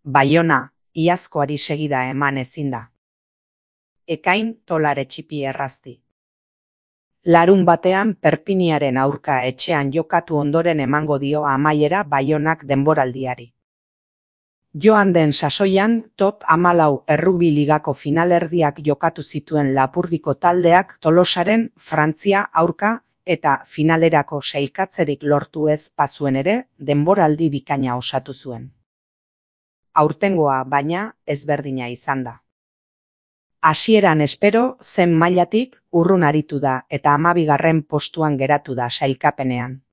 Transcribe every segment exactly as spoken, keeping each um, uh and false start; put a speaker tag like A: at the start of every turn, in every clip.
A: Baiona, iazkoari segida eman ezin da. Ekain tolare txipi errazti. Larun batean Perpiniaren aurka etxean jokatu ondoren emango dio amaiera Baionak denboraldiari. Joan den sasoian top hamalau errugbi ligako finalerdiak jokatu zituen Lapurdiko taldeak Tolosaren Frantzia aurka eta finalerako sailkatzerik lortu ez bazuen ere denboraldi bikaina osatu zuen. Aurtengoa, baina, ezberdina izan da. Hasieran espero zen mailatik urrun aritu da eta hamabigarren postuan geratu da sailkapenean.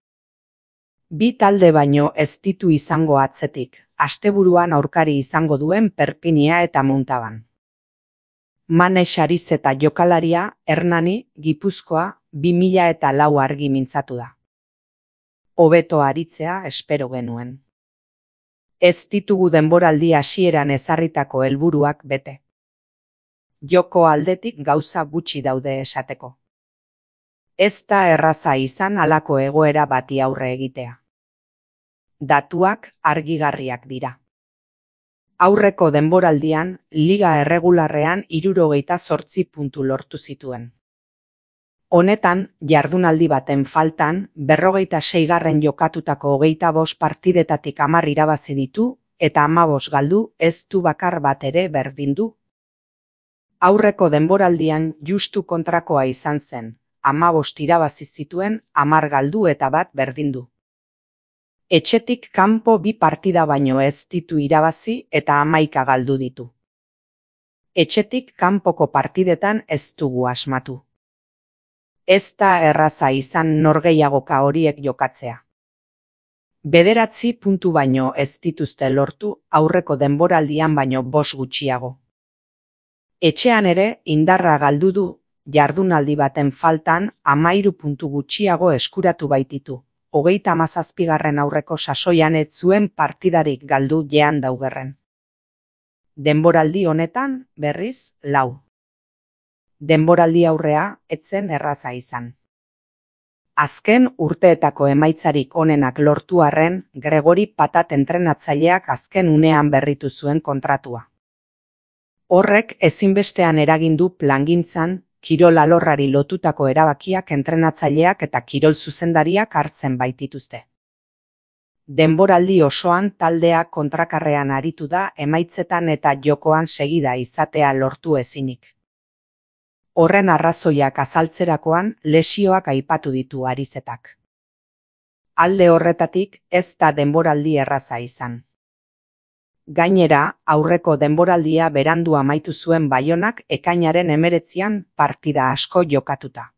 A: Bi talde baino ez ditu izango atzetik, asteburuan aurkari izango duen Perpinia eta Muntaban. Mane Xariz eta jokalaria Hernani, Gipuzkoa, bi mila eta lau argi mintzatu da. Hobeto aritzea espero genuen. Ez ditugu denboraldi hasieran ezarritako helburuak bete. Joko aldetik gauza gutxi daude esateko. Ez da erraza izan halako egoera bati aurre egitea. Datuak argigarriak dira. Aurreko denboraldian, liga erregularrean hirurogeita zortzi puntu lortu zituen. Honetan, jardunaldi baten faltan, berrogeita seigarren jokatutako hogeita bost partidetatik hamar irabazi ditu, eta hamabost galdu ez du bakar bat ere berdindu. Aurreko denboraldian justu kontrakoa izan zen, hamabost irabazi zituen, hamar galdu eta bat berdindu. Etxetik kanpo bi partida baino ez ditu irabazi eta hamaika galdu ditu. Etxetik kanpoko partidetan ez dugu asmatu. Ez da erraza izan norgehiagoka horiek jokatzea. Bederatzi puntu baino ez dituzte lortu aurreko denboraldian baino bost gutxiago. Etxean ere indarra galdu du, jardunaldi baten faltan hamairu puntu gutxiago eskuratu baititu. Hogeita hamazazpigarren aurreko sasoian ez zuen partidarik galdu jean daugerren. Denboraldi honetan, berriz, lau. Denboraldi aurrea etzen erraza izan. Azken urteetako emaitzarik onenak lortu arren, Gregori Patat entrenatzaileak azken unean berritu zuen kontratua. Horrek ezinbestean eragindu plangintzan, kirol alorrari lotutako erabakiak entrenatzaileak eta kirol zuzendariak hartzen baitituzte. Denboraldi osoan taldea kontrakarrean aritu da emaitzetan eta jokoan segida izatea lortu ezinik. Horren arrazoiak azaltzerakoan lesioak aipatu ditu Arizetak. Alde horretatik ez da denboraldi erraza izan. Gainera, aurreko denboraldia berandu amaitu zuen Baionak ekainaren hemeretzian partida asko jokatuta.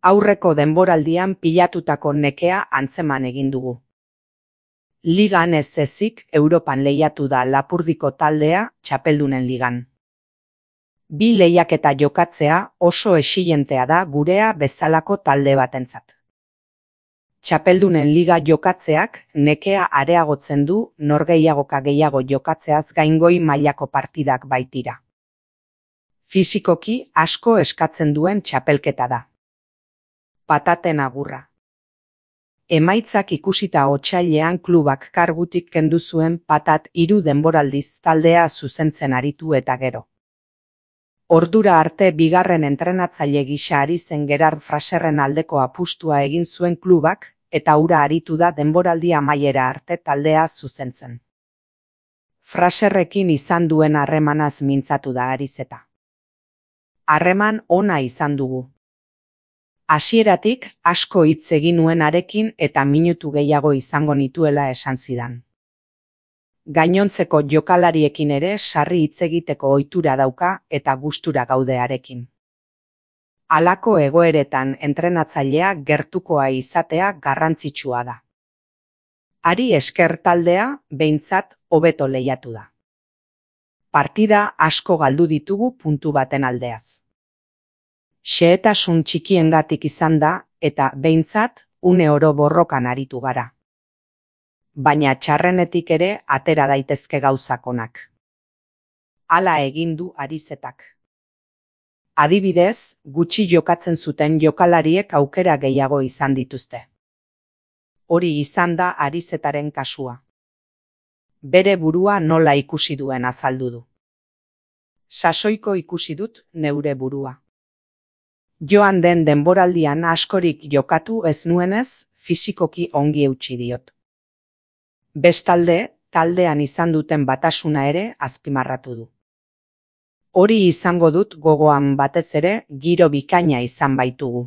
A: Aurreko denboraldian pilatutako nekea antzeman egin dugu. Ligan ez ezik Europan lehiatu da Lapurdiko taldea Txapeldunen ligan. Bi lehiaketa jokatzea oso exilentea da gurea bezalako talde batentzat. Txapeldunen liga jokatzeak nekea areagotzen du norgehiagoka gehiago jokatzeaz gaingoi mailako partidak baitira. Fisikoki asko eskatzen duen txapelketa da. Pataten agurra. Emaitzak ikusita otsailean klubak kargutik kendu zuen Patat hiru denboraldiz taldea zuzentzen aritu eta gero. Ordura arte bigarren entrenatzaile gisa ari zen Gerard Fraserren aldeko apustua egin zuen klubak, eta hura aritu da denboraldi amaiera arte taldea zuzentzen. Fraserrekin izan duen harremanaz mintzatu da Arizeta. Harreman ona izan dugu. Hasieratik asko hitz egin nuen harekin eta minutu gehiago izango nituela esan zidan. Gainontzeko jokalariekin ere sarri hitz egiteko ohitura dauka eta gustura gaude harekin. Halako egoeretan entrenatzailea gertukoa izatea garrantzitsua da. Hari esker taldea behintzat hobeto lehiatu da. Partida asko galdu ditugu puntu baten aldeaz. Xehetasun txikiengatik izan da eta behintzat une oro borrokan aritu gara. Baina txarrenetik ere atera daitezke gauzak onak. Hala egin du Arizetak. Adibidez, gutxi jokatzen zuten jokalariek aukera gehiago izan dituzte. Hori izan da Arizetaren kasua. bere burua nola ikusi duen azaldu du. Sasoiko ikusi dut neure burua. Joan den denboraldian askorik jokatu ez nuenez, fisikoki ongi eutsi diot. Bestalde, taldean izan duten batasuna ere azpimarratu du. Hori izango dut gogoan batez ere giro bikaina izan baitugu.